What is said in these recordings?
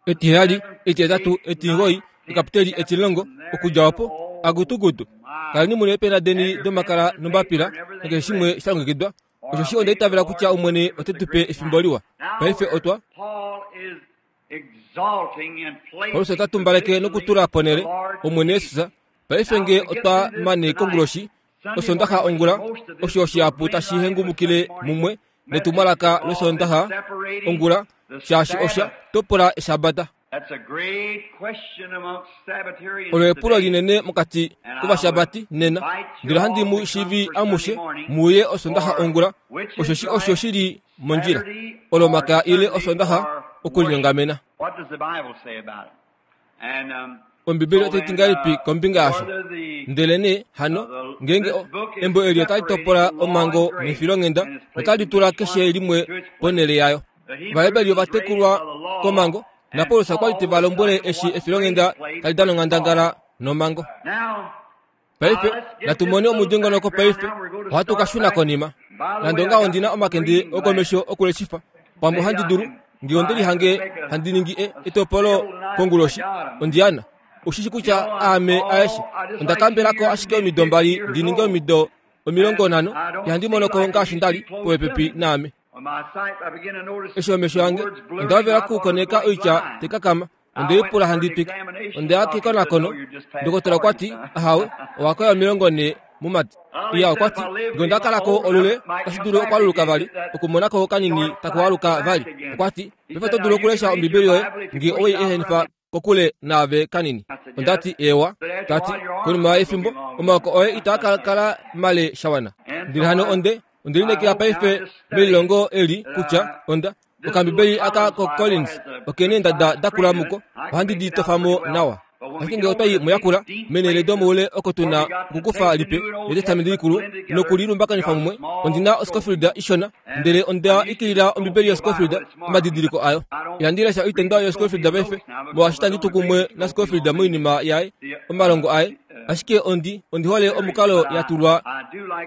Etiheyali, etihetatu, etingoyi, ekaputeli etilongo, okudja opo, agutugutu. Kaleni mu na eepena deni domakala nombapila, nakeshe shimwe sha longekidwa. Osheshi onda itavela kutya Omwene ote tu pe efimbo liwa. Paife otwa. Paulus ota tumbaleke nokutula ponhele Omwene Jesus. Paife nge otwa mane konguloshi, Osondaxa ongula, osho shihapu tashi hengumukile mumwe netumwalaka lOsoondaxa ongula, shaashi osha topola Eshabata. Olo epulo linene mokati kovashabati nena, ndele ohandi mu shivi amushe mu uye Osondaxa ongula, osheshi osho shi li mondjila, Olomakaya ile Osondaxa okulinyongamena. Ombibeli otai ti ngahelipi kombinga yasho? Ndelenee hano, ngeenge embo eli otali topola omhango nefilonghenda, otali tula keshe limwe ponhele yayo. Ovaheberi ova tekulwa komhango, naPaulus okwa li te va lombwele eshi efilonghenda tali dana onghandangala nomhango. Paife natu mone omudingonoko paife ohatu ka shuna konima. Nande ongaho ondi na omakende okomesho okuleshifa. Pamwe ohandi dulu, nge onde lihange handi ningi e, etopolo konguloshi, ondi ana. Ushishi kutya aame aeshe. Onda kambela ko ashike omido mbali ndi ninge omido 50, ihandi mono ko ngaashi nda li, popepi naame. Eshi omesho ange, onda hovela okukoneka oitya tai kakama. Onde lipula handi twike. Onde ya kekonakono. Ndokotola okwa ti, Ahawe, owa koya 40 mumati. Iya, okwa ti, Nge onda kala ko olule, otashi dulu okwaluluka vali, okumona ko kanini taku aluka vali. Okwa ti, Paife oto dulu okulesha Ombibeli yoye nge owei ehenifa kokule naave kanini. Onda ti, Eewa. Ta ti, Konima yefimbo, omaoko oye itaa ka kala male sha wana. Ndele hano onde, onde lineekela paife melilongo eli kutya onda Okambibeli aka koCollins oke neendada da kula muko, ohandi di tofa mo nawa. Ashike ngee otwa i muyakula, meenhele domoule oko tu na okukufa lipe lEtestamenti Likulu noku li lumbakanifa mumwe, ondi na oScofield ishona, ndele onda ikilila Ombibeli yoScofield omadidiliko ayo. Ihandi lesha oitendwa yoScofield paife, molwaashi itandi tu kumwe naScofield moinima yaye, omalongo aye. Ashike ondi, ondi hole omukalo ya tulwa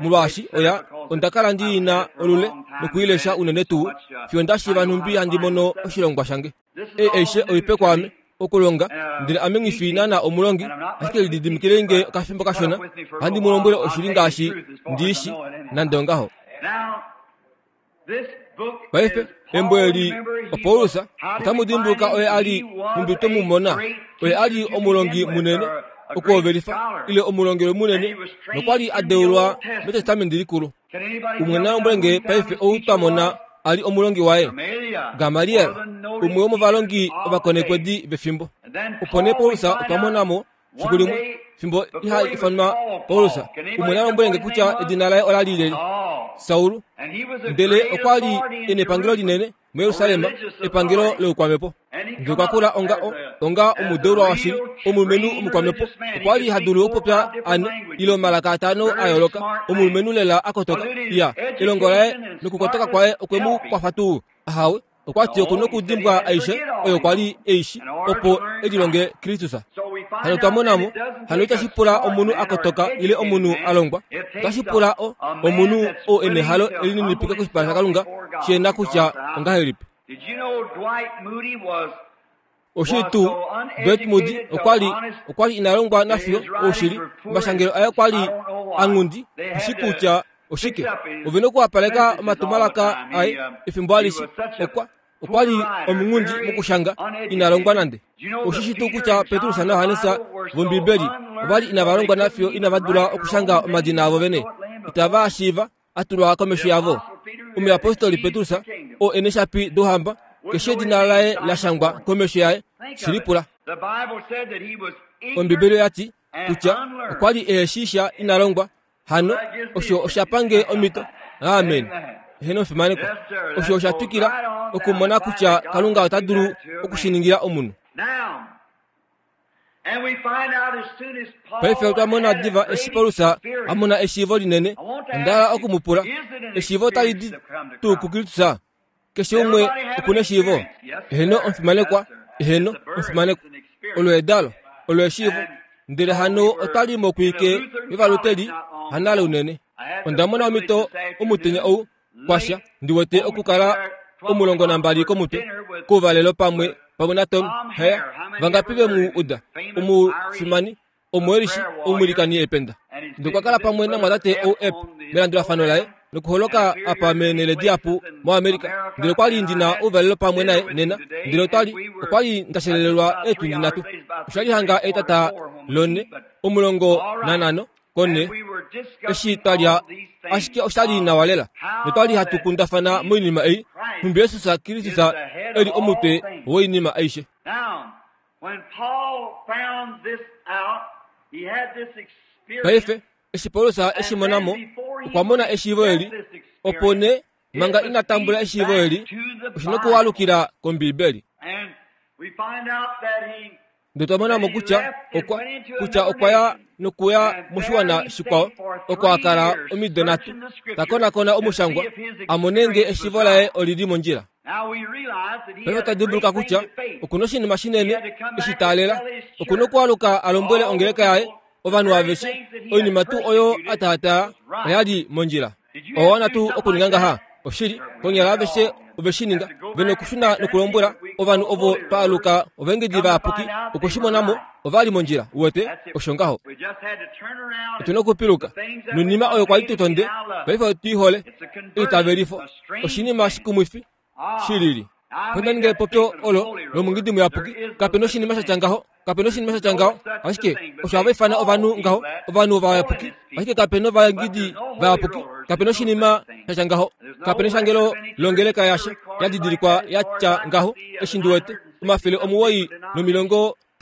molwaashi oya, onda kala ndi na olule noku i lesha unene tuu fiyo nda shiiva nhumbi handi mono oshilongwa shange. Ei aishe oipe kwaame, okulonga, ndele ame nghi fi naana omulongi, ashike lididimikilei nge okafimbo kashona, ohandi mu lombwele oshili ngaashi ndi i shi, nande ongaho. Paife, embo eli oPaulus, otamu dimbuluka oye a li nhumbi twe mu mona, oye a li omulongi munene, okuhovelifa, ile omulongelwe munene, nokwa li a deulwa mEtestamenti Likulu. Umwe na lombwele nge paife ou twa mona a li omulongi waye. Gamaliel, umwe womovalongi ovakonekwedi vefimbo. Opo nee Paulus otwa mona mo fiku limwe fimbo iha ifanwa Paulus, umwe na lombwele nge kutya edina laye ola li leli, Saul, ndele okwa li e nepangelo linene muJerusalem, epangelo loukwamhepo. Ndele okwa kula onga o, onga omudeulwa washili, omulumenhu omukwamhepo. Okwa li ha dulu okupopya ane ile omalaka atano a yooloka, omulumenhu lela a kotoka. Iya, elongo laye nokukotoka kwaye okwe mu kwafa tuu? Ahawe. Okwa ti oku nokudimbwa aishe oyo kwa li e i shi, opo e lilonge Kristus. Hano twa mona mo, hano itashi pula omunhu a kotoka ile omunhu a longwa. Otashi pula o, omunhu oo e nehalo e lininipika koshipala shaKalunga, shi na kutya ongahelipi. Oshili tuu, Dwight Moody okwa li okwa li ina longwa nafiyo oushili. Omashangelo aye okwa li a nghundi shi kutya oshike. Ove nokuwapaleka omatumwalaka aye efimbo alishe. Okwa okwa li omunghundi mokushanga, ina longwa nande. Oshi shi tuu kutya Petrus naJohannes vOmbibeli ova li inava longwa nafiyo inava dula okushanga omadina avo vene. Itava shiiva a tulwa komesho yavo. Omuyapostoli Petrus, oo e neshapi douhamba, keshe edina laye la shangwa komesho yaye, shi lipula. Ombibeli oya ti kutya okwa li ehe shii sha ina longwa, hano osho osha pange omhito. Amen. Eheno omufimanekwa. Osho osha twikila okumona kutya Kalunga ota dulu oku shi ningila omunhu. Paife otwa mona diva eshi Paulus a mona eshiivo linene. Onda hala oku mu pula, eshiivo otali di tuu kuKristus? Keshe umwe oku neshiivo? Eheno, omufimanekwa. Eheno, omufimanekwa. Olo edalo, olo eshiivo. Ndele hano otali mokwiike yovaluteli, hanale unene. Onda mona omhito omutenya ou, kwasha, ndi wete okukala 12 komutwe, kouvalelo pamwe. pamwe naTom Hare. Vangapi ve mu uda? Omufimani, Omuelishi, omwilikani ependa. Ndele okwa kala pamwe namwatate ou-Epp melandulafano laye nokuholoka apa meenhele dihapu moAmerica. Ndele okwa li ndi na ouvalelo pamwe naye nena, ndele otwa li, okwa li nda shelelelwa eetundi nhatu. Osha li hanga etata lonhe, 15 konhe, eshi twa lya, ashike osha li nawa lela. Notwa li hatu kundafana moinima ei, nhumbi Jesus Kristus e li omutwe woinima aishe. Paife, eshi Paulus e shi mona mo, okwa mona eshiivo eli, opo nee, manga ina tambula eshiivo eli, oshi nokualukila kOmbiibeli. Ndele twa mona mo kutya okwa, kutya okwa ya nokuya moshiwana shikwao, oko a kala omido nhatu, ta konakona omushangwa, a mone nge eshiivo laye oli li mondjila. Paife ta dimbuluka kutya oku na oshinima shinene eshi taalela. Oku na okualuka a lombwele ongeleka yaye, ovanhu aveshe, oinima tuu oyo a taataa oya li mondjila. Owa wana tuu okuninga ngaha? Oshili, konyala aveshe ove shi ninga. Ve nokushuna nokulombwela ovanhu ovo twa aluka ovaengedi vayapuki okwe shi mona mo, ova li mondjila. Uwete? Osho ngaho. Otu na okupiluka. Noinima oyo kwa li tu tonde, paife otu i hole. Eitavelifo. Oshinima shikumwifi shi lili. Onda ninga epopyo olo lomungidi muyapuki. Kape na oshinima sha tya ngaho. Kape na oshinima sha tya ngaho. Ashike osho hava ifana ovanhu ngaho, ovanhu ovayapuki. Ashike kape na ovaengidi vayapuki. Kape na oshinima sha tya ngaho. Kape na eshangelo longeleka yasha ya didilikwa ya tya ngaho, eshi ndi wete,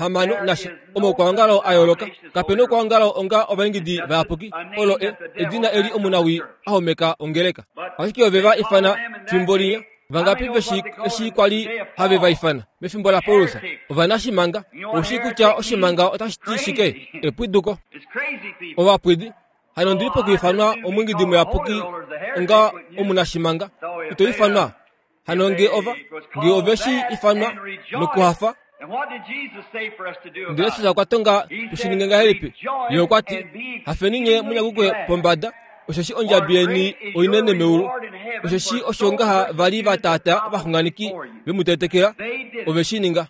960 nasha omaukwaongalo a yooloka. Kape na oukwaongalo onga ovaingidi vayapuki. Olo e, edina eli omunawii a homeka ongeleka. Ashike ove va ifana fimbo linya. Vangapi ve shii eshi kwa li have va ifana mefimbo laPaulus? Ovanashimanga. Ou shii kutya oshimanga otashi ti shike? Epwiduko. Ovapwidi. Hano ondi li pokuifanwa omwiingidi muyapuki onga omunashimanga. Ito ifanwa Hano nge ova, nge ove shi ifanwa nokuhafa, ndele Jesus okwa tonga tu shi ninge ngahelipi? Ye okwa ti, Hafeni nye mu nyakukwe pombada, osheshi ondjabi yeni oinene meulu. Osheshi osho ngaha va li va taataa ovaxunganeki ve mu tetekela, ove shi ninga.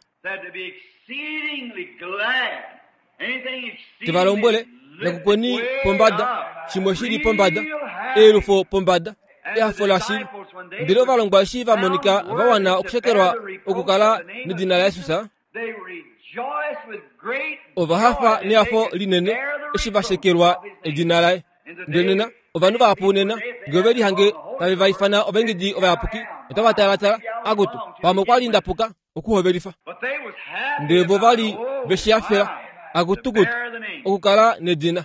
Te va lombwele, Nyakukweni pombada, shimwe shi li pombada, eyelufo pombada, ehafo lashili. Ndele ovalongwa eshi va monika va wana okushekelwa okukala nedina laJesus, ova hafa nehafo linene eshi va shekelwa edina laye. Ndele nena ovanhu vahapu nena nge ove lihange tave va ifana ovaengedi ovayapuki, otava talatala, Akutu, pamwe okwa li nda puka okuhovelifa. Ndele vo va li ve shi hafela, akutukutu, okukala nedina.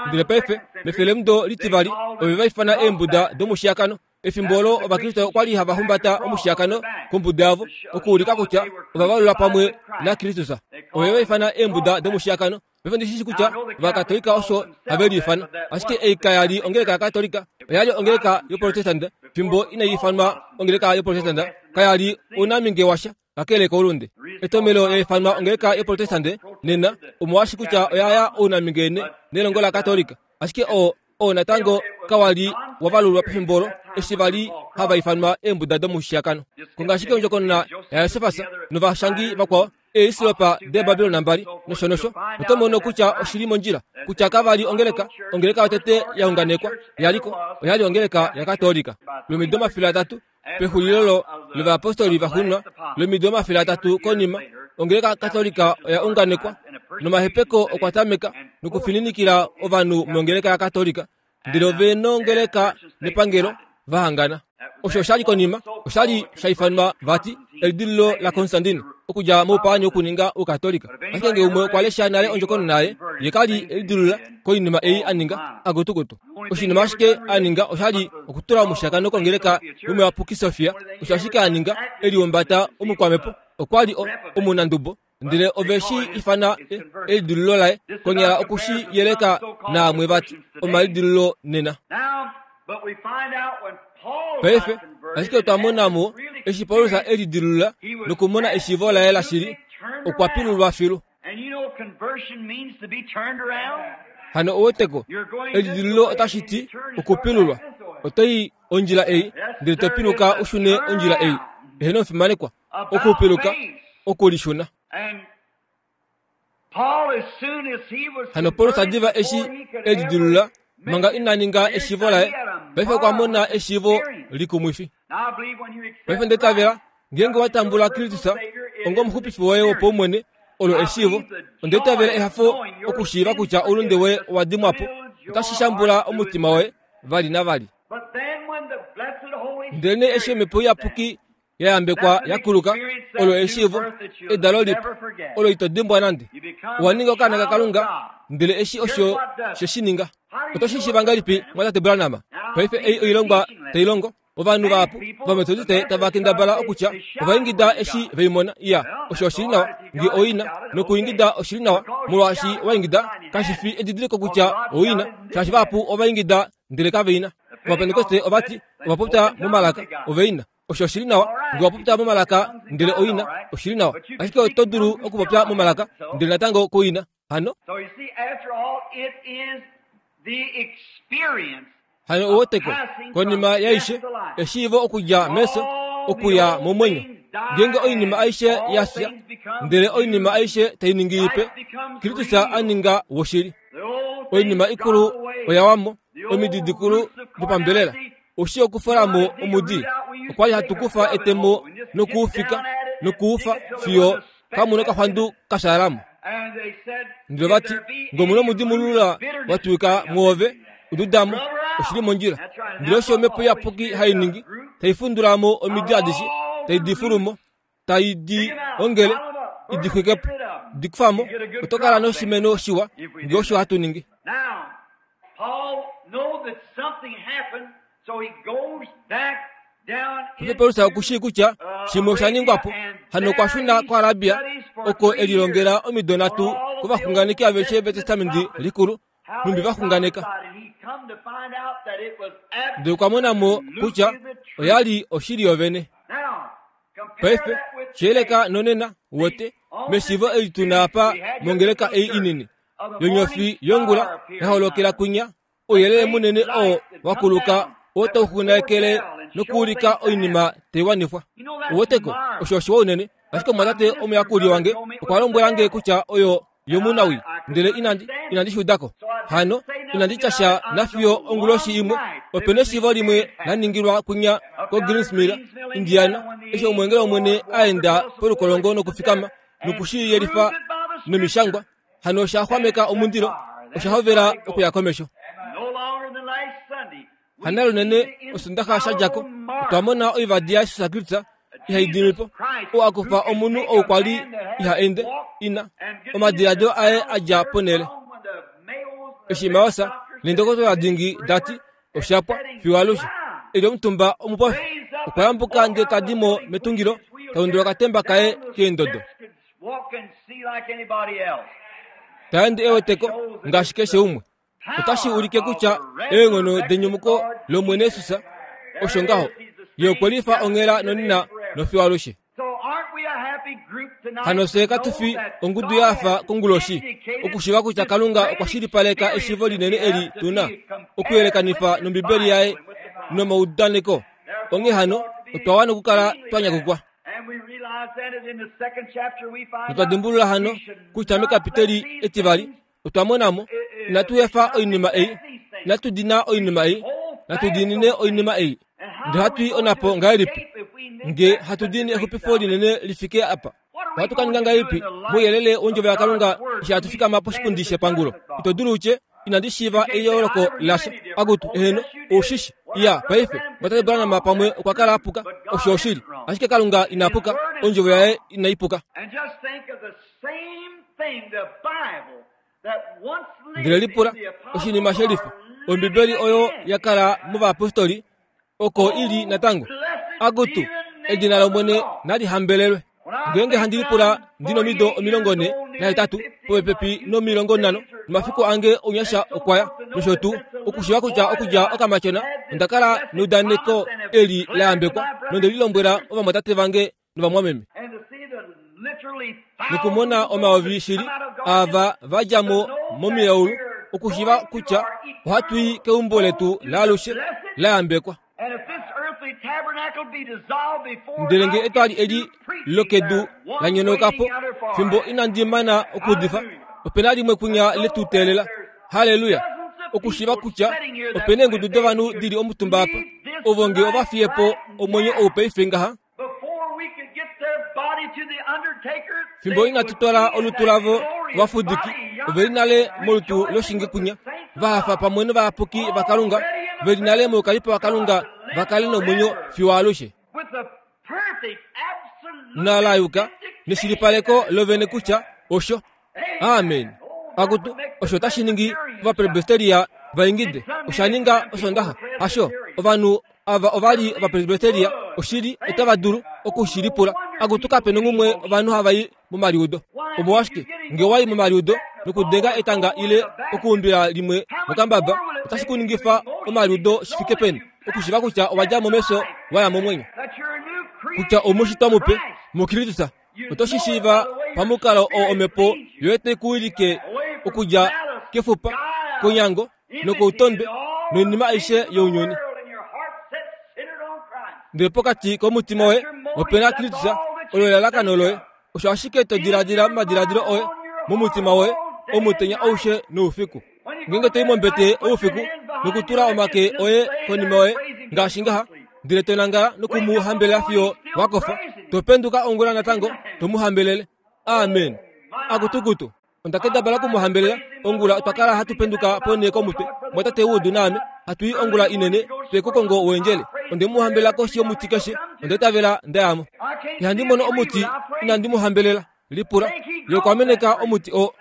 Ndele paife, mefelemudo litivali, ove va ifana eembuda domushiyakano. Efimbo olo Ovakriste okwa li hava humbata omushiyakano kombuda yavo okuulika kutya ova valula pamwe naKristus. Ove va ifana eembuda domushiyakano. Paife ondi shi shii kutya Ovakatolika osho have liifana, ashike ei kaya li ongeleka yaKatolika, oya li ongeleka yoProtestante fimbo inai ifanwa ongeleka yoProtestante. Kaya li ounaminge washa kakele koulunde. Etomhelo ya ifanwa ongeleka yoProtestante nena omolwaashi kutya oya ya ounaminge nelongo laKatolika, ashike oo oo natango kawa li wa valulwa pefimbo olo eshi va li hava ifanwa eembuda domushiyakano. Konga ashike ondjokonona yaJosefas novashangi vakwao eesilopa deeBabilon mbali nosho nosho, oto mono kutya oshi li mondjila kutya kava li ongeleka. Ongeleka yotete ya unganekwa ya li ko oya li ongeleka yaKatolika. Lomido 300 pexulilo lovayapostoli va xunwa, lomido 300 konima, ongeleka Katolika oya unganekwa nomahepeko okwa tameka nokufininikila ovanhu mongeleka yaKatolika ndele ove nongeleka nepangelo va hangana. Osho osha li konima, osha li sha ifanwa vati elidililo laConstantine okudja moupaani wokuninga Oukatolika. Ashike nge umwe okwa lesha nale ondjokonona yaye, ye ka li elidilula koinima ei a ninga akutukutu. Oshinima ashike a ninga osha li okutula omushakano kongeleka yomuyapuki Sofia. Osho ashike a ninga, e liumbata omukwamhepo. Okwa li omunandubo. Ndele ove shi ifana elidilululo laye, konyala oku shi yeleka naamwe vati omalidilululo nena. Paife, ashike otwa mona mo, eshi Paulus e lidilulula nokumona eshiivo laye lashili, okwa pilulwa filu. Hano ouweteko, elidilululo otashi ti okupilulwa. Oto i ondjila ei, ndele to piluka u shune ondjila ei. Eheno omufimanekwa. Okupiluka. Okulishuna. Hano Paulus diva eshi e lidilulula manga ina ninga eshiivo laye, paife okwa mona eshiivo likumwifi. Paife nda itavela ngeenge wa tambula Kristus onga omuxupifi woye wopaumwene, olo eshiivo. Onda itavela ehafo okushiiva kutya oulunde woye owa dimwa po, otashi shambula omutima woye vali navali. Ndelenee eshi Omhepo Iyapuki ya yambekwa ya kuluka, olo eshiivo, edalo lipe, olo ito dimbwa nande. Owa ninga okaana kaKalunga, ndele eshi osho she shi ninga. Oto shi shiiva ngahelipi, Mwatate Branham? Paife ei oilongwa tai longo. Ovanhu vahapu vOmetodiste tava kendabala okutya ova ingida eshi ve i mona. Iya, osho oshi li nawa, nge oi na. Nokuingida oshi li nawa, molwaashi wa ingida, kashi fi edidiliko kutya oi na, shaashi vahapu ova ingida ndele kave i na. Ovapentekoste ova ti ova popya momalaka, ove i na. Osho oshi li nawa, nge wa popya momalaka ndele oi na, oshi li nawa. Ashike oto dulu okupopya momalaka ndele natango ku i na. Hano, hano uweteko, konima yaishe, eshiivo okudja mefyo okuya momwenyo. Ngeenge oinima aishe ya fya, ndele oinima aishe tai ningi ipe, Kristus a ninga woshili. Oinima ikulu oya wa mo, omidi dikulu dopambelela. Oshi okufola mo omudi. Okwa li hatu kufa etemo nokuufika nokuufa fiyo kamu nokaxwandu ka shaala mo. Ndele va ti, Ngee omu na omudi mulula wa twika mwoove, u duda mo. Oshi li mondjila. Ndele osho Omhepo Iyapuki hai ningi, tai fundula mo omidi adishe, tai di fulu mo, tai di ongele, i di xwike po. Di kufa mo, oto kala noshimeno shiwa, ngee osho hatu ningi. Paife Paulus oku shii kutya shimwe osha ningwa po. Hano okwa shuna koArabia, oko e lilongela omido nhatu kovaxunganeki aveshe vEtestamenti Likulu, nhumbi va xunganeka. Ndele okwa mona mo kutya oya li oshili yovene. Paife, shiyeleka nonena, uwete, meshiivo eli tu na apa mongeleka ei inini yonyofi yongula ya holokela kwinya, Ouyelele munene oo wa kuluka oo tau xunganekele nokuulika oinima tai wanifwa. Uweteko, osho oshiwa unene. Ashike omumwatate omuyakuli wange okwa lombwela nge kutya oyo yomunawii, ndele inandi, inandi shi uda ko. Hano, inandi tya sha nafiyo onguloshi imwe, ope neshiivo limwe la ningilwa kwinya koGreens Mill, Indiana, eshi omweengeli wOmwene a enda polukolongo nokufikama noku shi yelifa nomishangwa. Hano osha xwameka omundilo, osha hovela okuya komesho. Hana lunene Osondaxa sha dja ko, otwa mona oivadi yaJesus Kristus ihai dimi po, oo a kufa omunhu ou kwa li iha ende, ina, omadiladilo aye a dja ponhele. Eshi Maosa neendokotola dingi da ti, osha pwa fiyo alushe. E li omutumba omupofi, okwa yambuka ndele ta di mo metungilo, ta undula okatemba kaye keendodo. Ta ende e wete ko ngaashi keshe umwe. Otashi ulike kutya eenghono denyumuko lOmwene Jesus osho ngaho. Ye okwe lifa onghela nonena nofiyo alushe. Hano fye katu fi ongudu ya fa konguloshi okushiiva kutya Kalunga okwa shilipaleka eshiivo linene eli tu na okuyelekanifa nOmbibeli yaye nomaudaneko. Onghee hano, otwa wana okukala twa nyakukwa. Notwa dimbulula hano kutya mekapiteli etivali otwa mona mo, inatu efa oinima ei, inatu dina oinima ei, natu diinine oinima ei. Ndele hatu i onapo ngahelipi nge hatu diinine exupifo linene li fike apa? Ohatu ka ninga ngahelipi mouyelele wondjovo yaKalunga eshi hatu fikama poshipundi shepangulo? Ito dulu u tye, Inandi shiiva eyooloko lasha. Akutu, eheno, ou shi shi. Iya, paife, Mwatate Branham pamwe okwa kala a puka. Osho oshili. Ashike Kalunga ina puka, Ondjovo yaye inai puka. Ndele lipula oshinima shelifa. Ombibeli oyo ya kala movayapostoli oko i li natango. Akutu, edina lOmwene nali hambelelwe. Ngeenge handi lipula ndi nomido 48, popepi nomilongo nhano, nomafiku ange ounyasha okwa ya, nosho tuu, okushiiva kutya okudja okamatyona onda kala neudaneko eli la yambekwa, nonde li lombwela ovamwatate vange novamwameme. Nokumona omayovi shili ava va dja mo momilaulu, okushiiva kutya ohatu i keumbo letu laalushe la yambekwa. Ndele nge etwali eli lokedu la nyonoka po, fimbo inandi mana okuudifa, ope na limwe kwinya le tu teelela. Halleluya! Okushiiva kutya ope na eengudu dovanhu di li omutumba apa, ovo nge ova fiye po omwenyo ou paife ngaha, Fimbo inatu twala olutu lavo kovafudiki, ove li nale molutu loshinge kwinya, va hafa pamwe novayapuki vaKalunga, ve li nale moukalipo waKalunga va kale nomwenyo fiyo alushe. Nala yuka neshilipaleko lovene kutya osho. Amen. Akutu, osho tashi ningi ovapresbiteria va ingide. Osha ninga Osondaxa. Hasho, ovanhu ava ova li ovapresbiteria, oshili, otava dulu oku shi lipula. Akutu, kape nongumwe ovanhu hava i momaliudo. Omolwashike, nge wa i momaliudo nokudenga etanga ile okuumbila limwe mokambaba, otashi ku ningifa omaliudo shi fike peni okushiva kutya owa dja mo mefyo wa ya momwenyo, kutya omushitwa mupe muKristus. Oto shi shiiva pamukalo oo omhepo yoye tai ku wilike okudja kefupa, konyango nokoutondwe noinima aishe younyuni. Ndele pokati komutima woye ope na Kristus, olo elalakano loye. Osho ashike to diladila momadiladilo oye, momutima woye, omutenya aushe noufiku. Ngeenge to i mombete oufiku nokutula omake oye konima yoye ngaashi ngaha, ndele to nangala noku mu hambelela fiyo wa kofa, to penduka ongula natango to mu hambelele. Amen. Akutukutu. Onda kendabala oku mu hambelela. Ongula otwa kala hatu penduka ponhee komutwe, mwatate Wood naame, hatu i ongula inene twe kukongo wendjele. Onde mu hambelela koshi yomuti keshe, onda itavela nda ya mo. Ihandi mono omuti inandi mu hambelela. Lipula, ye okwa meneka omuti oo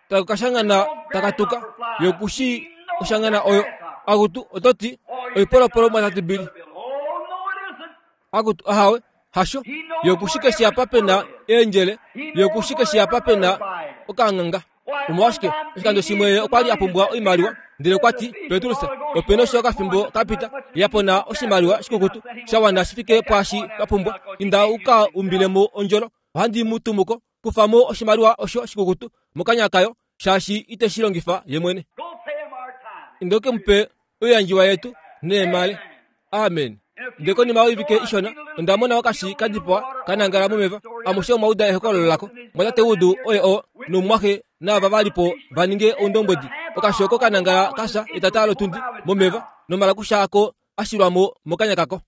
taku ka shangana taka tuka, ye oku shii oshangana oyo. Akutu, oto ti, oipolopolo mwatate Billy. Akutu, ahawe, hasho. Ye oku shi keshe apa pe na eendjele, ye oku shi keshe apa pe na okanganga. Omolwashike, oshikando shimwe ye okwa li a pumbwa oimaliwa, ndele okwa ti, Petrus, ope nosho okafimbo ka pita, ya pona oshimaliwa shikukutu sha wana shi fike pwaashi twa pumbwa. Inda u ka umbile mo ondjolo. Ohandi mu tumu ko. Kufa mo oshimaliwa osho shikukutu mokanya kayo, shaashi ite shi longifa ye mwene. Inda u ke mu pe oiyandjiwa yetu neemale. Amen. Ndele konima yoivike ishona, onda mona okashi ka dipawa ka nangala momeva. Amushe omwa uda ehokololo lako. Mwatate Wood oye oo, nomumwaxe naava va li po va ninge oundombwedi. Okashi oko ka nangala ka fya etata lotundi momeva, nomalakusha ako a shilwa mo mokanya kako.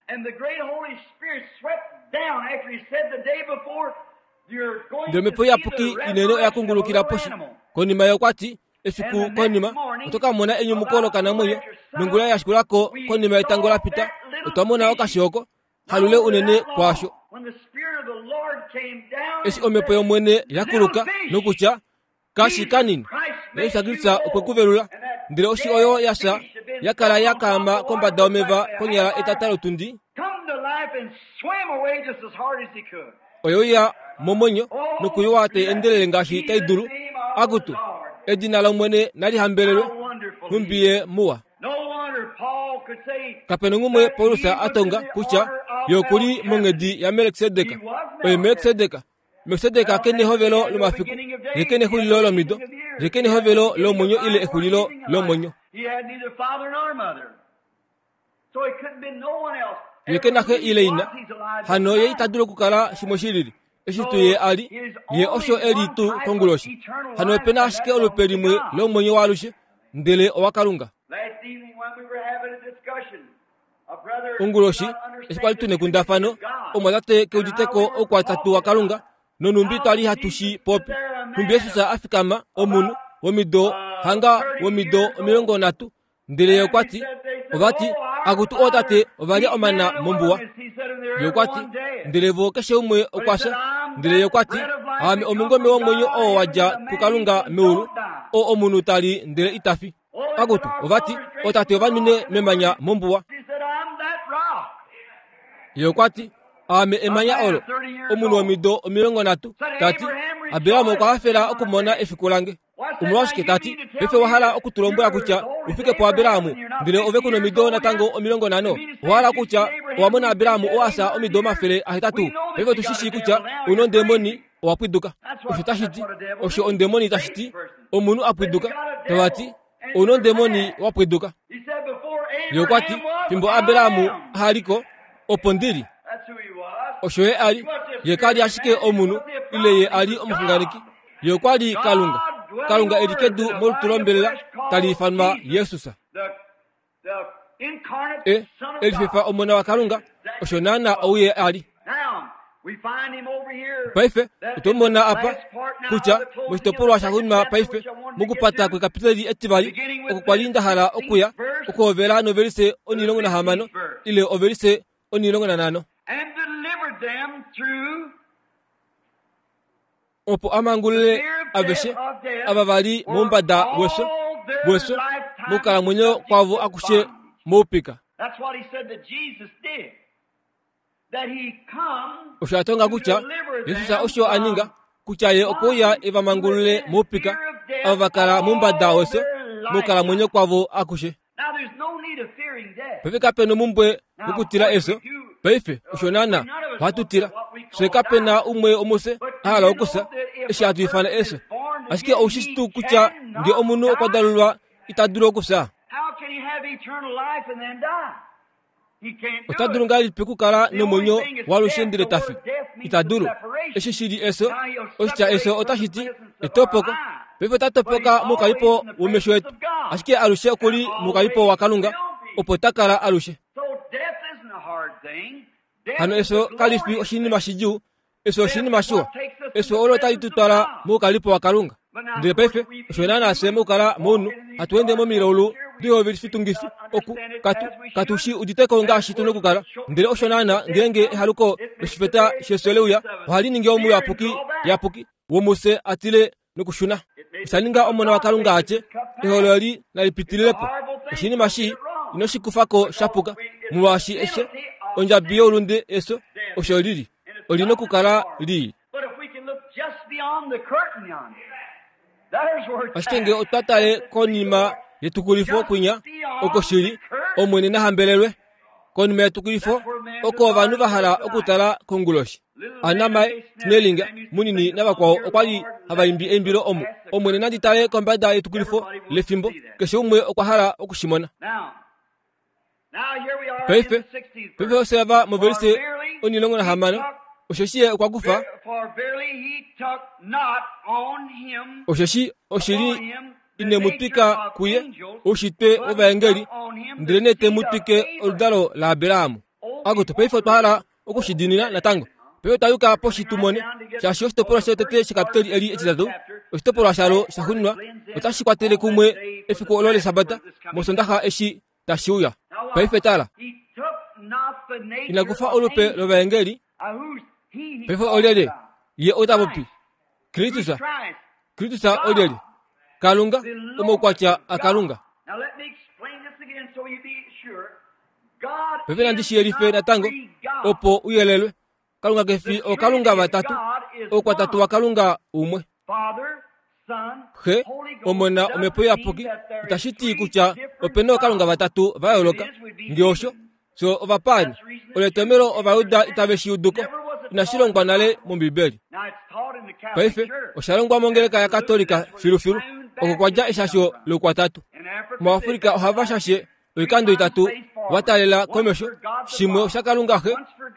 Ndele omhepo iyapuki inene oya kungulukila poshi. Konima ye okwa ti, Efiku konima, oto ka mona enyumuko lokanamwenyo, nongula ya shikula ko konima yetango la pita, otwa mona okashi oko, halule unene kwaasho. Eshi omhepo yOmwene ya kuluka nokutya, Kashi kanini, Jesus Kristus okwe ku velula, ndele oshi oyo ya fya ya kala ya kaama kombada yomeva konyala etata lotundi, oye uya momwenyo nokuyowa tai endelele ngaashi tai dulu. Akutu, edina lOmwene nali hambelelwe, nhumbi ye muwa. Kape nongumwe Paulus a tonga kutya ye oku li monghedi yaMelkisedek. Oye Melkisedek. Melkisedek ke nehovelo lomafiku, ye ke nexulilo lomido, ye ke nehovelo lomwenyo ile exulilo lomwenyo. Ye ke na xe ile ina, hano ye ita dulu okukala shimwe shi lili. Eshi tuu ye a li, ye osho e li tuu konguloshi. Hano ope na ashike olupe limwe lomwenyo waalushe, ndele owaKalunga. Onguloshi, eshi kwali tu nekundafano, omwatate ke udite ko oukwatatu waKalunga, nonhumbi twa li hatu shi popi. Nhumbi Jesus a fikama, omunhu, womido hanga womido 30, Ndele ye okwa ti, ova ti, Akutu ootate ova lya omana mombuwa. Ye okwa ti, ndele vo keshe umwe okwa fya. Ndele ye okwa ti, Aame omungome womwenyo oo wa dja kuKalunga meulu, oo omunhu ta li ndele ita fi. Akutu, ova ti, ootate ova nwine memanya mombuwa. Ye okwa ti, Aame emanya olo. Omunhu womido 30, ta ti, Abraham okwa hafela okumona efiku lange. Omolwashike ta ti, Paife owa hala oku tu lombwela kutya u fike puAbraham, ndele ove ku nomido natango 50? Owa hala kutya owa mona Abraham oo a fya omido 800? Paife otu shi shii kutya ou na ondemoni, owa pwiduka. Osho tashi ti, osho ondemoni tashi ti, omunhu a pwiduka. Tava ti, Ou na ondemoni wa pwiduka. Ye okwa ti, Fimbo Abraham aha li ko, Opo ndi li. Osho ye a li. Ye ka li ashike omunhu, ile ye a li omuxunganeki. Ye okwa li Kalunga. Kalunga e li kedu molutu lombelela tali ifanwa Jesus. E, e lifefa Omona waKalunga, osho naana ou ye a li. Paife otwe mu mona apa kutya moshitopolwa shaxuuninwa paife mokupata kwekapiteli etivali oko kwa li nda hala okuya okuhovela novelise 16 ile ovelise 15. Opo a mangulule aveshe ava va li moumbada wefyo wefyo mokukalamwenyo kwavo akushe moupika. Osho a tonga kutya Jesus osho a ninga kutya ye okwe uya e va mangulule moupika ava va kala moumbada wefyo mokukalamwenyo kwavo akushe. Paife kape nomumbwe wokutila efyo. Paife osho naana ohatu tila. Fye kape na umwe womufye a hala okufya eshi hatu ifana efyo. Ashike ou shi tuu kutya nge omunhu okwa dalulwa ita dulu okufya? Ota dulu ngahelipi okukala nomwenyo waalushe ndele ta fi? Ita dulu. Eshi shi li efyo, oshitya efyo otashi ti etopoko. Paife ota topoka moukalipo womesho etu, ashike alushe oku li moukalipo waKalunga, opo ta kala alushe. Hano efyo kali fi oshinima shidjuu, Efyo oshinima shiwa. Efyo olo tali tu twala moukalipo waKalunga. Ndele paife, osho naanaa fye mokukala mounhu hatu ende momilaulu dihovelifitungifi oku katu katu shi udite ko ngaashi tu nokukala. Ndele osho naanaa ngeenge ehaluko loshifeta shefyo le uya, ohali ningi omuyapuki yapuki womufye a tile nokushuna. Osha ninga Omona waKalunga a tye, Eholo eli nali pitilile po. Oshinima shii, ino shi kufa ko sha puka, molwaashi efyo, ondjabi youlunde efyo, osho li li. Oli nokukala lii. Ashike nge otwa tale konima yetukulifo kwinya, oko shi li, Omwene na hambelelwe. Konima yetukulifo, oko ovanhu va hala okutala konguloshi. Anamae, Snelinga, Munini navakwao okwa li hava imbi eimbilo omu. Omwene nandi tale kombada yetukulifo lefimbo, keshe umwe okwa hala oku shi mona. Paife, paife ofye ava movelise 16, osheshi ye okwa kufa, osheshi oshili ine mu twika kuye oushitwe wovaengeli, ndelenee te mu twike oludalo laAbraham. Akutu, paife otwa hala oku shi diinina natango. Paife otwa yuka poshi tu mone, shaashi oshitopolwa shotete shekapiteli eli etitatu, oshitopolwa shalo shaxuuninwa, otashi kwatele kumwe efiku olo lEshabata mOsondaxa eshi tashi uya. Paife tala. Ina kufa olupe lovaengeli. Paife olyelye ye ota popi? Kristus. Kristus olyelye? Kalunga, omaukwatya aKalunga. Paife nandi shi yelife natango opo u yelelwe. Kalunga ke fi ookalunga vatatu, oukwatatu waKalunga umwe. Xe, Omona, Omhepo Iyapuki itashi ti kutya ope na ookalunga vatatu va yooloka. Nge osho, fye ovapaani. Olo etomhelo Ovajuda itave shi udu ko. Inashi longwa nale mOmbibeli. Paife osha longwa mongeleka yaKatolika filufilu, oko kwa dja eshasho loukwatatu. MuAfrika ohava shashe oikando itatu wa taalela komesho, shimwe oshaKalunga Xe,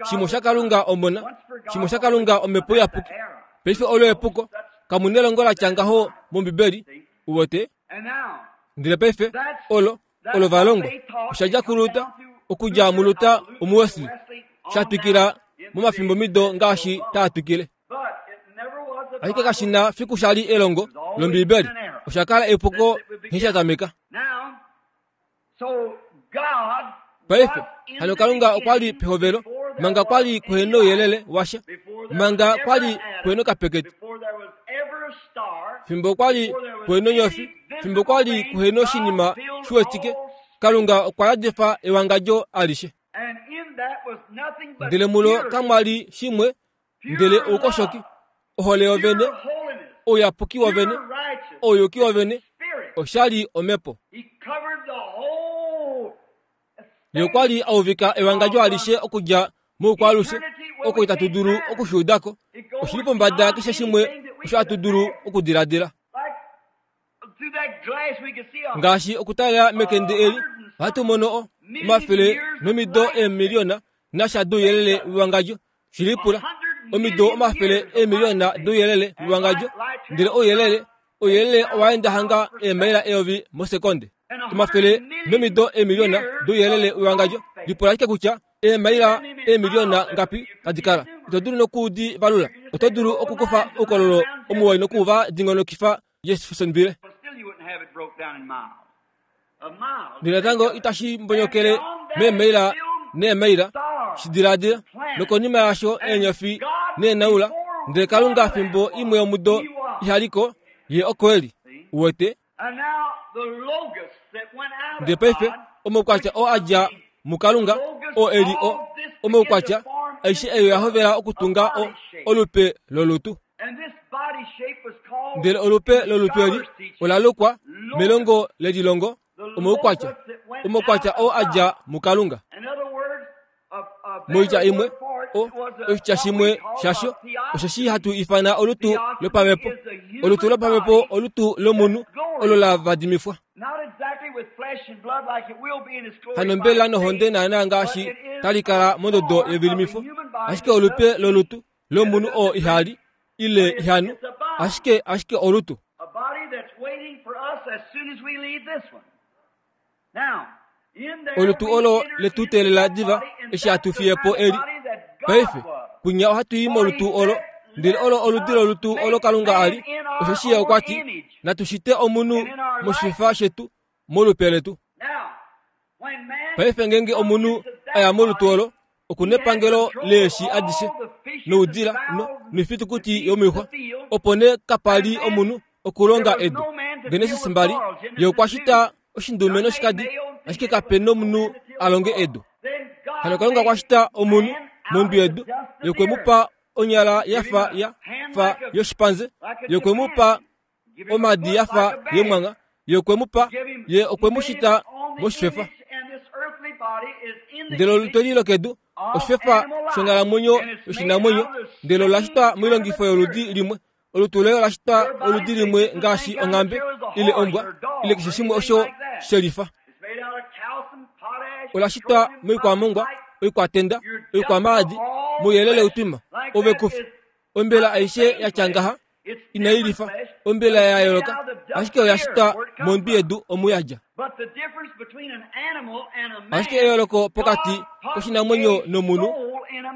shimwe oshaKalunga Omona, shimwe oshaKalunga Omhepo Iyapuki. Paife olo epuko. Kamu nelongo la tya ngaho mOmbibeli, uwete. Ndele paife olo olo va longwa osha dja kuLuther, okudja muLuther omuWesley, sha twikila momafimbomido ngaashi taa twikile. Ashike kashi na fiku sha li elongo lOmbibeli, osha kala epuko nghee sha tameka. Paife, hano Kalunga okwa li pehovelo, manga kwa li kuhe nouyelele washa, manga kwa li kuhe nokapekete, fimbo kwa li kuhe nonyofi, fimbo kwa li kuhe noshinima shiwetike, Kalunga okwa yadifa ewangadjo alishe. Ndele mulo kamwa li shimwe ndele oukoshoki, ohole yovene, ouyapuki wovene, ouyuki wovene, osha li omhepo. Ye okwa li a uvika ewangadjo alishe okudja moukwaalushe, oko itatu dulu oku shi uda ko. Oshi li pombada yakeshe shimwe osho hatu dulu okudiladila. Ngaashi okutalela mekende eli, ohatu mono omafele nomido eemiliona. na sha douyelele wewangadjo. Shi lipula. Omido omafele eemiliyona douyelele wewangadjo, ndele ouyelele, ouyelele owa enda hanga eemaila eyovi mosekonde. Omafele nomido eemiliyona douyelele wewangadjo. Lipula ashike kutya eemaila eemiliyona ngapi tadi kala. Ito dulu noku di valula. Oto dulu okukufa oukololo omuwoi noku va dingonokifa Jeffersonville. Ndele natango itashi mbonyokele meemaila neemaila, shi diladila. Nokonima yaasho eenyofi neenaula, ndele Kalunga fimbo imwe yomudo ihali ko, Ye oko e li. Uwete? Ndele paife, omaukwatya oo a dja muKalunga, oo e li o, omaukwatya, aishe eyo ya hovela okutunga o, olupe lolutu. Ndele olupe lolutu eli ola lukwa melongo lelilongo omaukwatya, omaukwatya oo a dja muKalunga. Moitya imwe, o, oshitya shimwe shasho osheshi hatu ifana olutu lopamhepo. Olutu lopamhepo olutu lomunhu olo la vadimifwa. Hano mbela nohonde naanaa ngaashi tali kala mondodo yevilimifo, ashike olupe lolutu lomunhu oo iha li ile iha nu, ashike ashike olutu. Olutu olo le tu teelela diva eshi hatu fiye po eli. Paife, kwinya ohatu i molutu olo, ndele olo oludi lolutu olo Kalunga a li, osheshi Ye okwa ti, Natu shite omunhu moshifa shetu, molupe letu. Paife ngeenge omunhu a ya molutu olo, oku nepangelo leeshi adishe noudila no, noifitukuti yomoixwa. Opo nee kapa li omunhu okulonga edu. Genesis 2, Ye okwa shita oshindume noshikadi, ashike kape nomunhu a longe edu. Hano Kalunga okwa shita omunhu mondwi yedu, Ye okwe mu pa onyala ya fa ya fa yoshipanze, Ye okwe mu pa omadi ya fa yemwangha, Ye okwe mu pa, Ye okwe mu shita moshifefa. Ndele olutu eli lokedu oshifefa shonghalamwenyo yoshinamwenyo, ndele ola shitwa moilongifo yoludi limwe. Olutu loye ola shitwa oludi limwe ngaashi onghambe ile ombwa ile keshe shimwe osho she lifa. Ola shitwa moikwamongwa, oikwatenda, oikwamaadi, mouyelele utwima. Ove kufi ombela aishe ya tya ngaha inai lifa ombela ya yooloka, ashike oya shitwa mondwi yedu omu ya dja. Ashike eyooloko pokati koshinamwenyo nomunhu,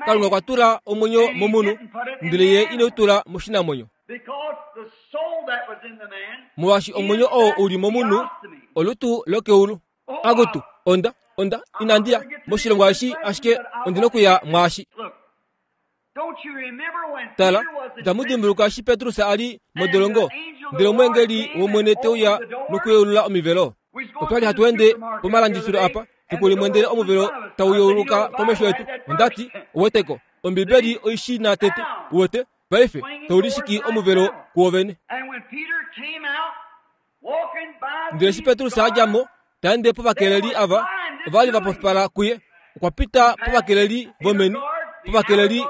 Kalunga okwa tula omwenyo momunhu, ndele ye ine u tula moshinamwenyo. Molwaashi omwenyo oo u li momunhu olutu lokeulu. Akutu, onda, onda, inandi ya moshilongo eshi, ashike ondi nokuya mwaashi. Tala, itamu dimbuluka eshi Petrus a li modolongo, ndele omweengeli wOmwene te uya nokuyeulula omivelo? Otwa li hatu ende pomalandifilo apa fiku limwe ndele omuvelo tau yeuluka komesho yetu. Onda ti, Uweteko, Ombibeli oi shi na tete, uwete, paife, tau lishiki omuvelo kuovene. Ndele eshi Petrus a dja mo, ta ende povakeleli ava, ova li va pofipala kuye. Okwa pita povakeleli vomeni, povakeleli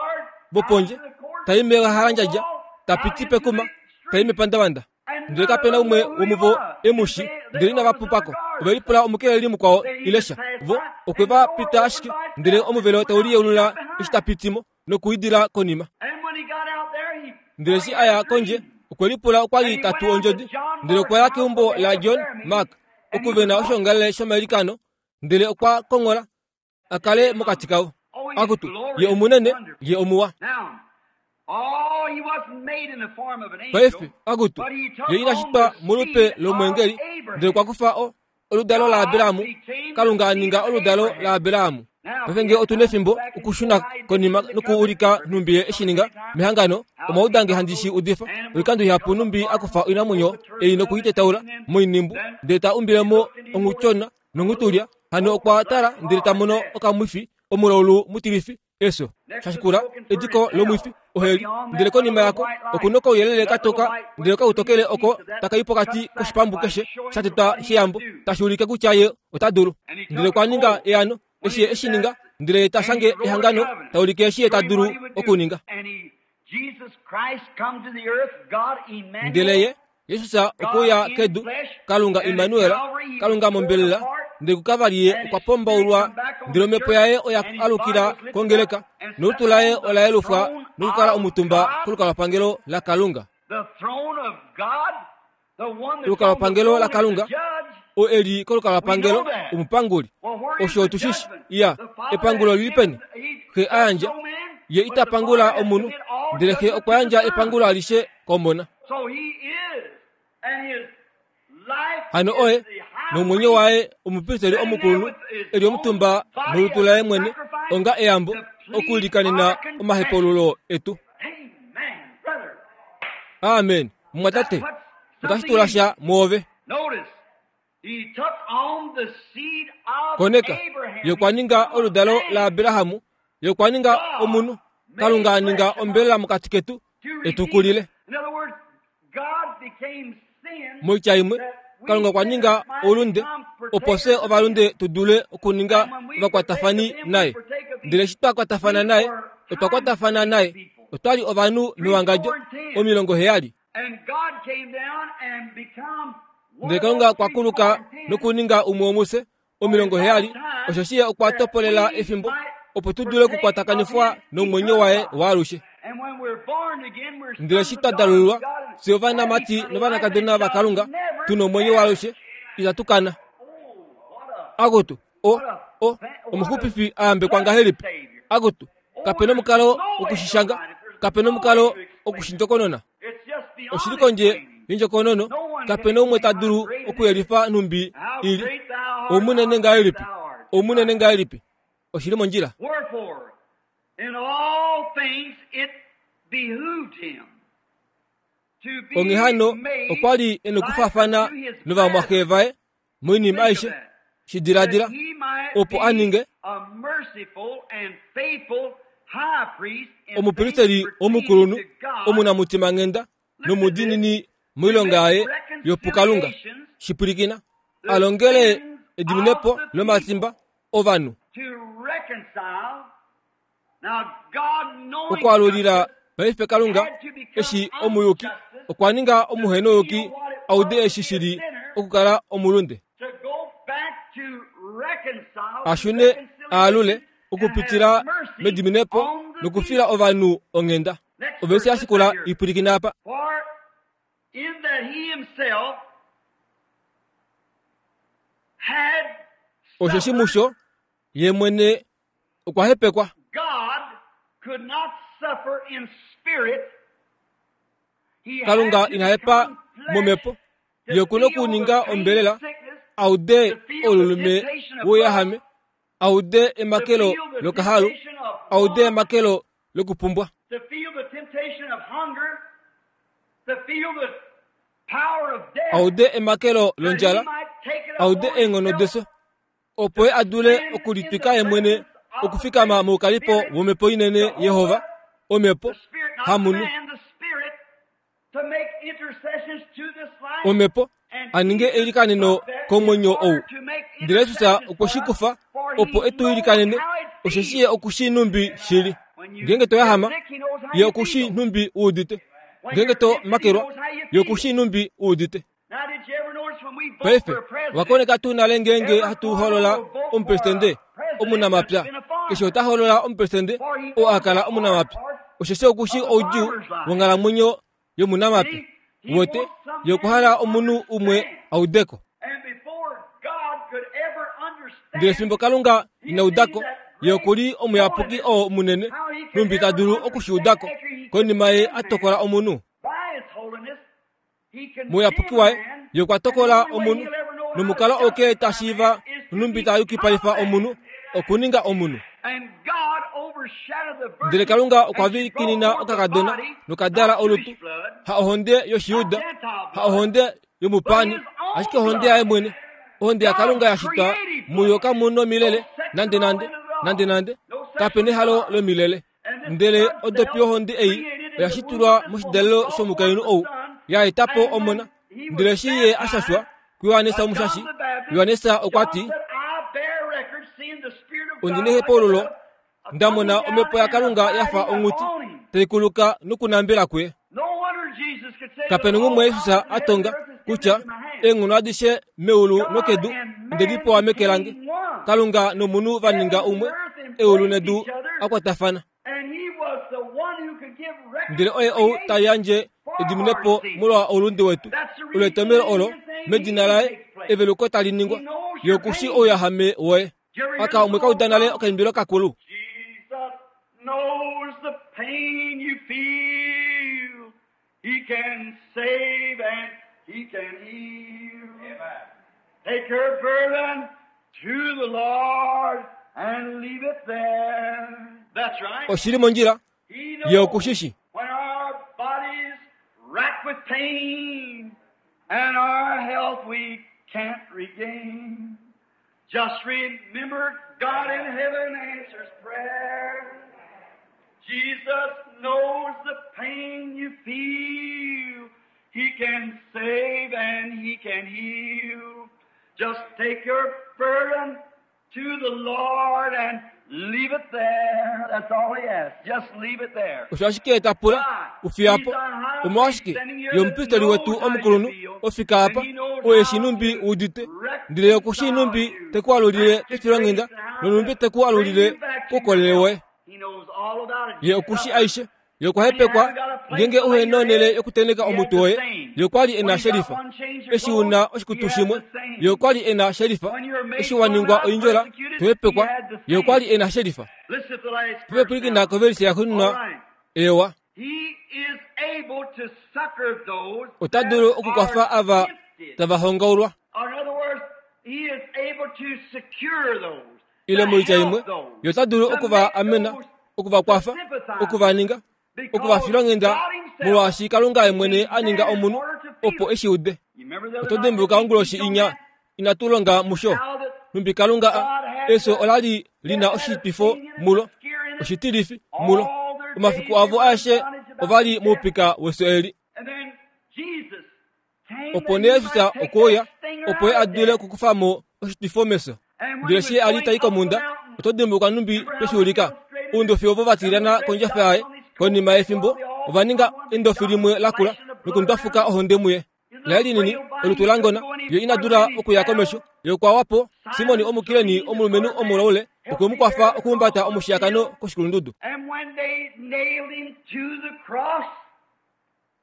vopondje, ta i mehalandjadja, ta piti pekuma, ta i mepandavanda. Ndele kape na umwe womuvo e mu shi, ndele inava pupa ko. Ove lipula omukeleli mukwao ile sha. Vo okwe va pita ashike, ndele omuvelo tau liyeulula eshi ta piti mo nokuidila konima. Ndele eshi a ya kondje, okwe lipula okwa li ta tu ondjodi, ndele okwa ya keumbo laJohn Mark oku ve na oshoongalele shomailikano, ndele okwa konghola a kale mokati kavo. Akutu, ye omunene, ye omuwa. Paife, akutu, ye ina shitwa molupe lomweengeli, ndele okwa kufa o, oludalo laAbraham, Kalunga a ninga oludalo laAbraham. Paife nge otu nefimbo okushuna konima nokuulika nhumbi ye eshi ninga mehangano, omwa uda nge handi shi udifa oikando ihapu nhumbi a kufa oinamwenyo ei noku i tetaula moinimbu ndele ta umbile mo onghutyona nonghutulya. Hano okwa tala ndele ta mono okamwifi omulaulu mutilifi Efyo, sha shikula ediko lomwifi, oheli, ndele konima yako oku nokauyelele ka toka ndele okautokele oko taka i pokati koshipambu keshe sha tetwa sheyambo, tashi ulike kutya ye ota dulu. Ndele okwa ninga eano, eshi ye e shi ninga, ndele ye ta shange ehangano, ta ulike eshi ye ta dulu okuninga. Ndele ye, Jesus okwe uya kedu, Kalunga Immanuel, Kalunga mombelela, Ndele kuKavari ye okwa pombaulwa, ndele omhepo yaye oya alukila kongeleka, nolutu laye ola yelufwa nokukala omutumba kolukalwapangelo laKalunga. Olukalwapangelo laKalunga, oo e li kolukalwapangelo, omupanguli. Osho otu shi shi. Iya, epangulo oli li peni? Xe a yandja. Ye ita pangula omunhu, ndele Xe okwa yandja epangulo alishe kOmona. Hano oye, nomwenyo waye omupristeli omukulunhu e li omutumba molutu laye mwene onga eyambo okuilikanena omahepaululo etu. Amen. Mumwatate, otashi tula sha mwoove. Koneka, ye okwa ninga oludalo laAbrahamu, ye okwa ninga omunhu, Kalunga a ninga ombelela mokati ketu, e tu kulile. Moitya imwe, Kalunga okwa ninga oulunde opo fye ovalunde tu dule okuninga ovakwatafani naye. Ndele eshi twa kwatafana naye, otwa kwatafana naye. Otwa li ovanhu mewangadjo 70. Ndele Kalunga okwa kuluka nokuninga umwe womufye 70, osheshi Ye okwa topolela efimbo opo tu dule okukwatakanifwa nomwenyo waye waalushe. Ndele eshi twa dalululwa, fye ovanamati novanakadona vaKalunga, tu nomwenyo waalushe, itatu kana. Akutu, o, o, omuxupifi a yambekwa ngahelipi! Akutu, kape nomukalo woku shi shanga, kape nomukalo oku shi ndjokonona. Oshi li kondje yondjokonono, kape noumwe ta dulu okuyelifa nhumbi i li. Oumunene ngahelipi! Oumunene ngahelipi! Oshi li mondjila. Onghee hano, okwa li e nokufaafana novamwaxe vaye moinima aishe. Shi diladila, opo a ninge omupristeli omukulunhu omunamutimanghenda nomudiinini moilonga yaye yopukalunga. Shi pwilikina, a longele ediminepo lomatimba ovanhu. Okwaalulila paife Kalunga eshi omuyuki okwa ninga omuhenouyuki a ude eshi shi li okukala omulunde. A shune a alule okupitila mediminepo nokufila ovanhu onghenda. Ovesi ya shikula i pwilikina apa. Osheshi musho ye mwene okwa hepekwa. Kalunga ina hepa momhepo, ye oku na okuninga ombelela, a ude oululume wouyahame, a ude emakelo lokahalu, a ude emakelo lokupumbwa. A ude emakelo londjala, a ude eenghono defyo. opo ye a dule okulitwika ye mwene okufikama moukalipo womhepo inene Yehova, omhepo, hamunhu. Omhepo, a ninge eilikaneno komwenyo ou. Ndele Jesus okwe shi kufa opo e tu ilikanene, osheshi ye oku shii nhumbi shili. Ngeenge to yahama, ye oku shii nhumbi u udite. Ngeenge to makelwa, ye oku shii nhumbi u udite. Paife, owa koneka tuu nale ngeenge hatu hoolola omupresidente omunamapya? Keshe ota hoolola omupresidente oo a kala omunamapya, osheshi oku shii oudjuu wonghalamwenyo yomunamapya. Uwete, ye okwa hala omunhu umwe a ude ko. Ndele fimbo Kalunga ina uda ko, ye oku li omuyapuki oo munene, nhumbi ta dulu oku shi uda ko, konima ye a tokola omunhu. Mouyapuki waye, ye okwa tokola omunhu, nomukalo oo kee ta shiiva nhumbi ta yukipalifa omunhu, okuninga omunhu. Ndele Kalunga okwa vikinina okakadona nokadala olutu, ha ohonde yOshiyuda, ha ohonde yomupaani, ashike ohonde yaye mwene. Ohonde yaKalunga ya shitwa muyo kamu nomilele nandenande, nandenande, kape nehalo lomilele. Ndele odopi yohonde ei oya shitulwa moshidalelo shomukainhu ou, ya eta po omona. Ndele eshi ye a shashwa kuJohannes Omushashi, Johannes okwa ti, Ondi nehepaululo nda mona omhepo yaKalunga ya fa onghuti tai kuluka nokunambela kuye. Kape na umwe Jesus a tonga kutya eenghono adishe meulu nokedu Onde li pewa meke lange. Kalunga nomunhu va ninga umwe, eulu nedu a kwatafana. Ndele oye ou ta yandje ediminepo molwa oulunde wetu. Olo etomhelo olo, medina laye, eveluko tali ningwa. Ye oku shii ouyahame woye. Aka omwe ka uda nale okaimbilo kakulu. Jesus knows the pain you feel. He can save and he can heal. Take your burden to the Lord and leave it there. That's right. Oshi li mondjila. He Ye knows oku shi shi. when our bodies racked with pain and our health we can't regain. Just remember God in heaven answers prayer. Jesus knows the pain you feel. He can save and he can heal. Just take your burden to the Lord and leave it there. That's all he asks. Just leave it there. Osho ashike ta pula, u fiya po. Omolwashike ye omupristeli wetu omukulunhu ofika apa, oo e shii nhumbi u udite, ndele ye oku shii nhumbi te ku alulile kefilonghenda nonhumbi te ku alulile koukolele woye. He knows all about it. Ye oku shii aishe. Ye okwa hepekwa ngeenge uhe na onhele yokutenheka omutwe woye. Ye okwa li e na shelifa. Eshi u na oshikutu shimwe, ye okwa li e na shelifa. Eshi wa ningwa oindjola, to hepekwa, ye okwa li e na shelifa. Listen to the last verse Pepepwilikina now. kovelise All yaxuuninwa right. ewa. He is able to succor those Ota that dulu okukwafa are ava tempted. tava hongaulwa. Or in other words, he is able to secure those, Ile to moitya imwe, help those, ye ota dulu to oku va make amena, those oku va to kwafa, oku va sympathize. ninga, oku va Because filonghenda, God himself molwaashi Kalunga ye mwene became a ninga man in omunhu order to feel opo it. e shi ude. You remember the other Oto night dimbuluka we onguloshi teach on inya that? inatu longa musho. How that Nhumbi Kalunga a God had efyo to, ola li li na death had a oshitwifo sting in it, mulo, a scare in it. oshitilifi mulo. All their days Omafiku they avo were in aeshe bondage ova about li to death. moupika wefyo eli. And then Jesus came Opo that nee he Jesus might take okwe uya that stinger opo ye out a of dule death. okukufa mo oshitwifo mefyo. And when Ndele he eshi was a li going tai up the komhunda, mountain, oto dimbuluka nhumbi remember how tweshi they ulika. illustrated it? Oundofi ovo va Them tilyana little red kondjafa dots yaye, on his coat konima yefimbo while they all ova ninga on one big endofi dot limwe lakula splashing the blood nokundwafuka around. ohonde muye. His Laye little linini, frail body, olutu he la couldn't ngona, go any ye ina further dula than he okuya fell. komesho. Ye okwa wa po, Simoni Simon Omukireni, Cyrene, the omulumenhu colored man, omulaule, okwe helped mu me kwafa bear the okuhumbata cross up the omushiyakano hill. koshikulundudu. And when they nailed him to the cross,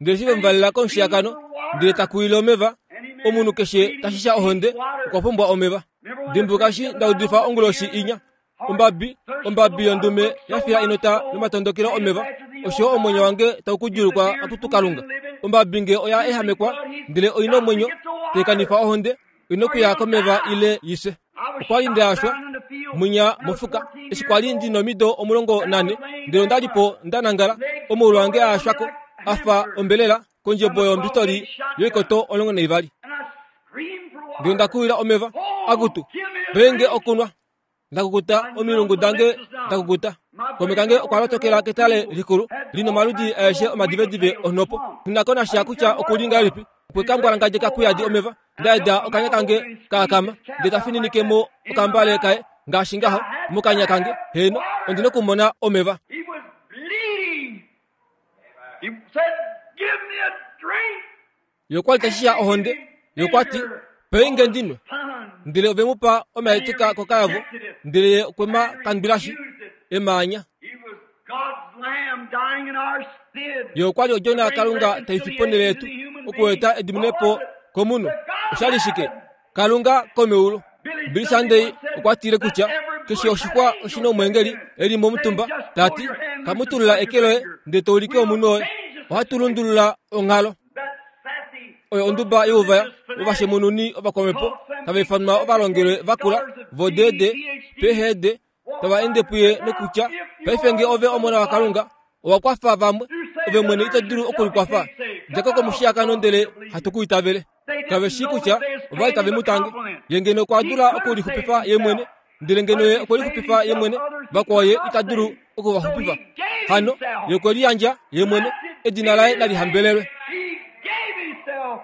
Ndele eshi ve and mu he valela screamed komushiyakano, for ndele ta water, kuwile omeva, any omunhu man keshe ta bleeding shisha ohonde needs water. okwa pumbwa omeva. Remember when I Dimbuluka preached eshi the other nda night udifa on the onguloshi deer inya, heart ombabi, thirst for the ombabi water yondume brook ya so fila my enota soul nomatondokelo fainteth omeva, after thee, osho O omwenyo God. wange tau ku If the djuulukwa deer's akutu wounded Kalunga. and living, Ombabi nge oya losing ehamekwa, blood, he's ndele oi na got to omwenyo, get the tai water kanifa ohonde, oi na or okuya he'll komeva die. ile i fye. I was Okwa li shot nda yashwa down in the field munya when I was mofuka 14 eshi kwa years li ndi old, nomido omulongo and I nane, was laying ndele onda there, li my po nda nangala, legs omaulu tore ange up a on me yashwako like a fa hamburger ombelela kondjebo from a 12 yombistoli gauge shotgun. yoikoto 12. And I screamed for Ndele onda water. kuwila omeva, Oh, akutu, give me a penge drink. okunwa. Nda kukuta I omilungu numbed my dange lips da now. kukuta. My Kaume brother kange okwa over the lotokela road ketale pool likulu had li all nomaludi kinds of aeshe little wiggle omadivedive tails onhopo. swamp. Nghi na I sha didn't kutya care what okuli it was. ngahelipi. Okwe He ka drank mbwalangadja it full of kuyadi water. omeva, And nda I eda felt my okanya mouth kange open and ka squeezed akama, his cap ndele ta out like fininike that mo in my okambale kaye mouth. ngaashi I ngaho had to mokanya kange. have Heeno, ondi water. nokumona omeva. He was bleeding. He said, Give me a drink. Ye okwa li ta And shisha they gave ohonde, him ye okwa ti, vinegar Pei nge on a ndi nwe. sponge. Ndele ove mu pa And he omaetika kokayavo, rejected it ndele ye okwe ma and kandwilashi refused it. emaanya. He was God's lamb dying in our stead Ye okwa li to odjona bring yaKalunga tai fi ponhele reconciliation to yetu the human okueta being. What ediminepo was it? komunhu. The God Osha of li shike? heaven. Kalunga komeulu. Billy Billy Sunday Sunday once said okwa tile that kutya every keshe bush had oshixwa angels oshi na omweengeli sitting in it, e li momutumba saying, Just ta pull ti, your hand loose and Kamutulula point eke your loye finger. ndele to ulike We'll omunhu woye. change the Ohatu situation. lundulula onghalo. That sassy Oyo little onduba youvaya religious fanatic ovashemununi ovakwamhepo called some tava ifanwa people ovalongelwe educated vakula scholars of vo D, DD, PhD, PhD walked tava by ende and puye said, Now, nokutya if you paife nge are the ove Son omona of God, waKalunga owa kwafa vamwe you save ove mwene others ito dulu yourself you okulikwafa can't save. djako Come out off the komushiyakano cross ndele and you'll believe hatu it. ku itavele They kave didn't shii know kutya that they was ova li paying tave him mu a tange compliment. ye ngeno okwa He dula could have saved okulixupifa ye mwene himself. ndele ngeno But ye if he okwe saved lixupifa ye himself, mwene others he vakwao could ye not ita dulu save. oku va So he xupifa gave hano himself. ye okwe liyandja ye mwene Blessed edina be laye his nali name. hambelelwe He gave himself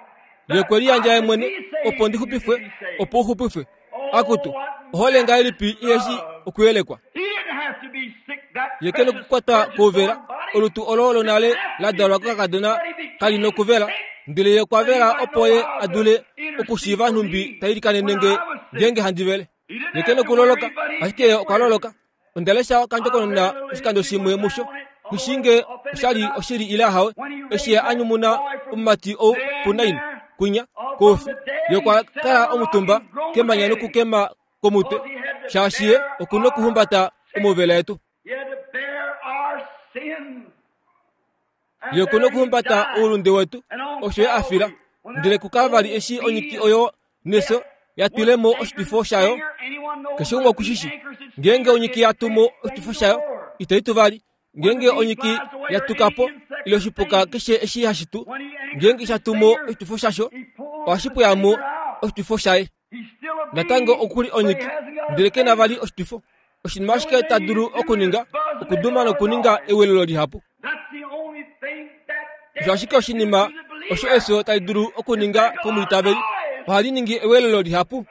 ye that okwe liyandja I ye could mwene be saved opo ndi and you xupifwe could be saved. opo u xupifwe Oh, akutu what ohole ngahelipi iheshi love. okuyelekwa He didn't have to be sick, that ye ke precious nokukwata virgin kouvela born body. olutu olo lonale Didn't have la to be dalwa sick, kokakadona but he kali became nokuvela sick ndele ye okwa that he vela might opo know ye how a to dule intercede okushiiva for nhumbi me ta ilikanene when nge I was ngeenge handi vele. Ye ke nokuloloka, ashike ye okwa loloka. Onda lesha okandjokonona oshikando shimwe musho, nghi shii nge osha li oshili ile ahawe, eshi ye a nyumuna omumati ou puNain, kwinya, koufi. Ye okwa kala omutumba kemanya nokukema komutwe, shaashi ye oku nokuhumbata omauvela etu. Ye oku nokuhumbata oulunde wetu, osho ye a fila. Ndele kuKalvari eshi onyiki oyo nefyo ya twile mo oshitwifo shayo, keshe umwe oku shi shi. Ngeenge onyiki ya tu mo oshitwifo shayo, itai tu vali. Ngeenge onyiki ya tuka po, ile oshipuka keshe eshi hashi tu, ngeenge sha tu mo oshitwifo shasho, ohashi pweya mo oshitwifo shaye. Natango oku li onyiki, ndele ke na vali oshitwifo. Oshinima ashike ta dulu okuninga okuduma nokuninga ewelelo lihapu. Osho ashike oshinima osho efyo tali dulu okuninga komwiitaveli, ohali ningi ewelelo lihapu.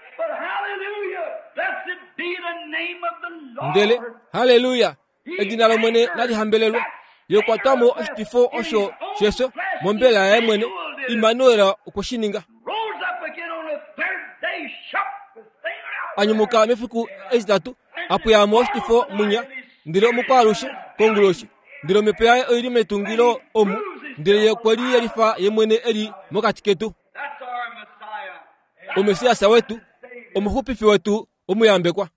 Ndele, halleluya, edina lOmwene nali hambelelwe. Ye okwa twa mo oshitwifo osho shefyo mombela yaye mwene. Immanuel okwe shi ninga. A nyumuka mefiku etitatu, a pweya mo oshitwifo mwinya, ndele omukwaalushe konguloshi. Ndele omhepo yaye oi li metungilo omu, ndele ye okwe liyelifa ye mwene e li mokati ketu. Omessias wetu, omuxupifi wetu omuyambekwa.